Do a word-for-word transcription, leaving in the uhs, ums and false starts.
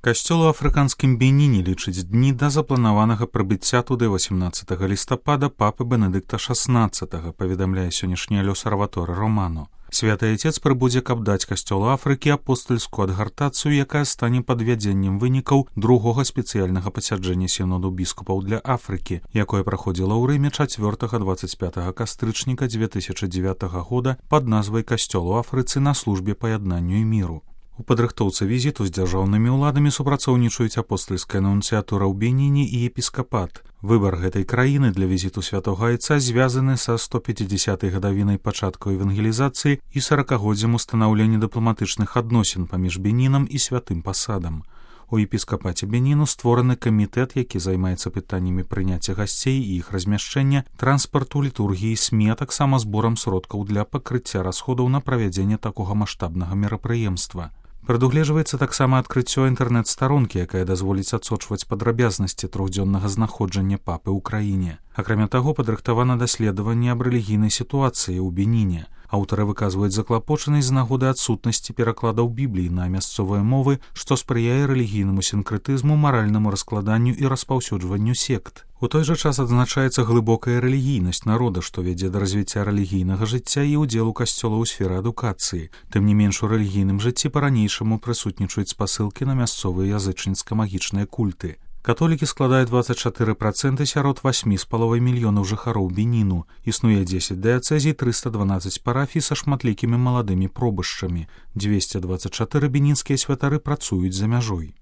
Касцёл у афрыканскім Беніне лічыць дні да запланаванага прыбыцця туды восемнадцатага лістапада папы Бенедыкта шаснаццатага, паведамляе сённяшняя Л'осерваторы Романо. Святы Айцец прыбудзе, каб даць касцёлу Афрыкі апостальскую адгартацыю, якая стане падвядзеннем вынікаў другога спецыяльнага пасяджэння сіноду біскупаў для Афрыкі, якое праходзіла ў Рыме чацвёртага дваццаць пятага кастрычніка дзве тысячы дзевятага года пад назвай «Касцёл у Афрыцы на службе паяднанню і міру». У падрыхтоўцы візіту з дзяржаўнымі ўладамі супрацоўнічаюць апостальская нунцыятура ў Беніне і епіскапат. Выбар гэтай краіны для візіту святога Айца звязаны са сто пяцідзясятай гадавінай пачатку евангелізацыі і саракагоддзям устанаўлення дыпламатычных адносін паміж Бенінам і святым пасадам. У епіскапаце Беніну створаны камітэт, які займаецца пытаннямі прыняцця гасцей і іх размяшчэння, транспарту, літургіі, СМІ, а таксама зборам сродкаў для пакрыцця расходаў на правядзенне такога маштабнага мерапрыемства. Прадугледжваецца таксама адкрыццё інтэрнэт-старонкі, якая дазволіць адсочваць падрабязнасці трохдзённага знаходжання папы ў краіне. Акрамя таго, падрыхтавана даследаванне аб рэлігійнай сітуацыі ў Беніне. Аўтары выказваюць заклапочанасць з нагоды адсутнасці перакладаў Бібліі на мясцовыя мовы, што спрыяе рэлігійнаму сінкрэтызму, маральнаму раскладанню і распаўсюджванню сект. У той жа час адзначаецца глыбокая рэлігійнасць народа, што вядзе да развіцця рэлігійнага жыцця і ўдзелу касцёла ў сферы адукацыі. Тым не менш, у рэлігійным жыцці па-ранейшаму прысутнічаюць спасылкі на мясцовыя язычніцка-магічныя культы. Католікі складаюць дваццаць чатыры працэнты сярод васьмі з паловай мільёнаў жыхароў Беніну. Існуе дзесяць дыяцэзій, трыста дванаццаць парафій са шматлікімі маладымі пробышчамі. дзвесце дваццаць чатыры бенінскія святары працуюць за мяжой.